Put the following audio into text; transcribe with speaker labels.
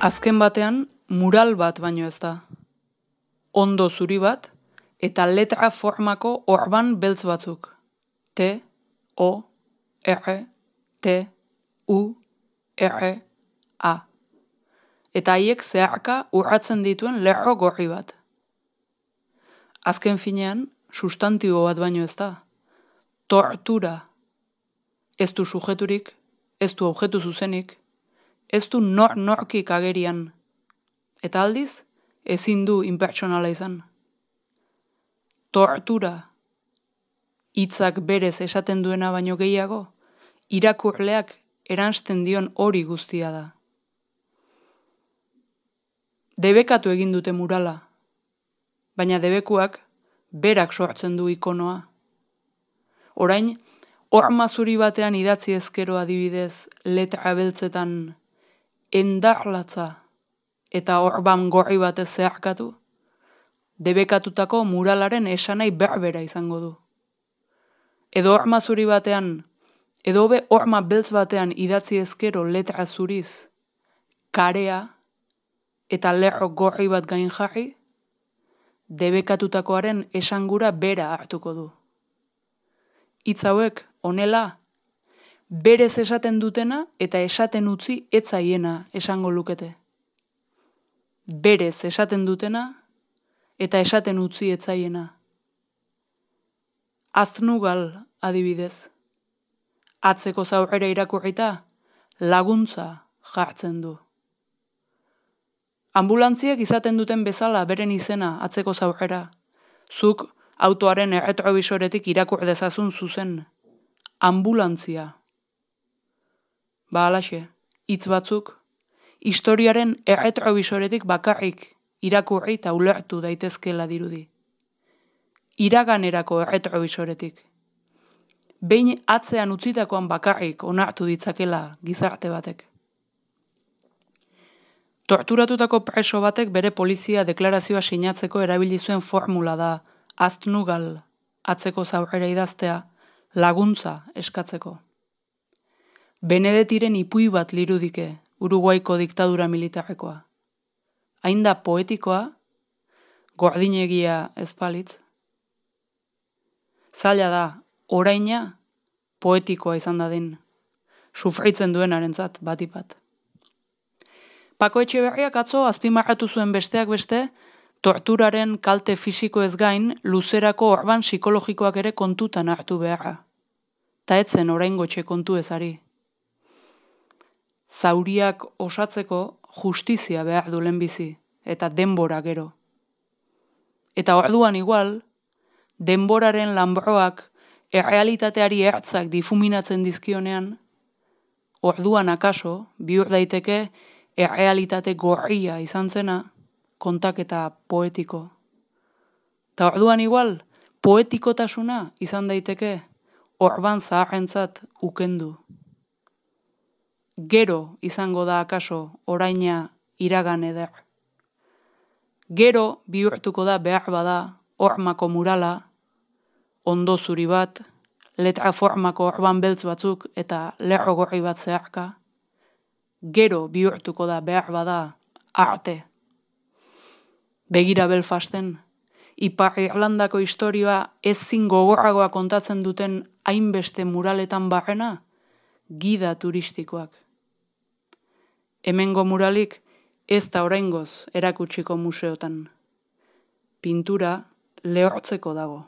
Speaker 1: Azken batean, mural bat baino ez da. Ondo zuri bat, eta letra formako orban beltz batzuk. T, O, R, T, U, R, A. Eta haiek zeharka urratzen dituen lerro gorri bat. Azken finean, sustantibo bat baino ez da. Tortura. Ez du sujeturik, ez du objektu zuzenik, ez du norkik agerian. Eta aldiz, ezin du impertsonala izan. Tortura. Hitzak berez esaten duena baino gehiago, irakurleak eransten dion hori guztia da. Debekatu egin dute murala, baina debekuak berak sortzen du ikonoa. Orain, horma zuri batean idatzi ezkero adibidez letra beltzetan endarlatza eta orban gorri batez zeharkatu, debekatutako muralaren esanai berbera izango du. Edo horma zuri batean, edo hobe horma beltz batean idatzi ezkero letra zuriz, karea eta lerro gorri bat gain jarri, debekatutakoaren esangura bera hartuko du. Hitz hauek, honela, berez esaten dutena eta esaten utzi etzaiena esango lukete. Berez esaten dutena eta esaten utzi etzaiena. Aznugal adibidez. Atzeko zaurrera irakurrita laguntza jartzen du. Ambulantziek izaten duten bezala beren izena atzeko zaurrera. Zuk autoaren erretrobisoretik irakur dezazun zuzen. Ambulantzia. Ba alaxe, hitz batzuk, historiaren erretrobisoretik bakarrik irakurri eta ulertu daitezkela dirudi. Iraganerako erretrobisoretik. Behin atzean utzitakoan bakarrik onartu ditzakela gizarte batek. Torturatutako preso batek bere polizia deklarazioa sinatzeko erabili zuen formula da aznugal atzeko zaurrera idaztea laguntza eskatzeko. Benedetiren ipui bat lirudike Uruguaiko diktadura militarrekoa. Hain da poetikoa, gordinegia ezpalitz. Zaila da, oraina poetikoa izan dadin, sufritzen duenarentzat batipat. Pako Etxeberriak atzo azpimarratu zuen besteak beste, torturaren kalte fisiko ez gain, luzerako orban psikologikoak ere kontutan hartu beharra. Ta etzen oraingo etxe kontu ezari. Zauriak osatzeko justizia behar du lehenbizi, eta denbora gero. Eta orduan igual, denboraren lanbroak errealitateari ertzak difuminatzen dizkionean, orduan akaso, bihur daiteke errealitate gorria izan zena, kontaketa poetiko. Ta orduan igual, poetikotasuna izan daiteke orban zaharrentzat ukendu. Gero izango da akaso oraina iragan eder. Gero bihurtuko da behar bada hormako murala, ondo zuri bat, letra formako orban beltz batzuk eta lerro gorri bat zeharka. Gero bihurtuko da behar bada arte. Begira Belfasten, Ipar Irlandako historioa ezin gogorragoa kontatzen duten hainbeste muraletan barrena, gida turistikoak. Hemengo muralik ez da oraingoz erakutsiko museotan. Pintura lehortzeko dago.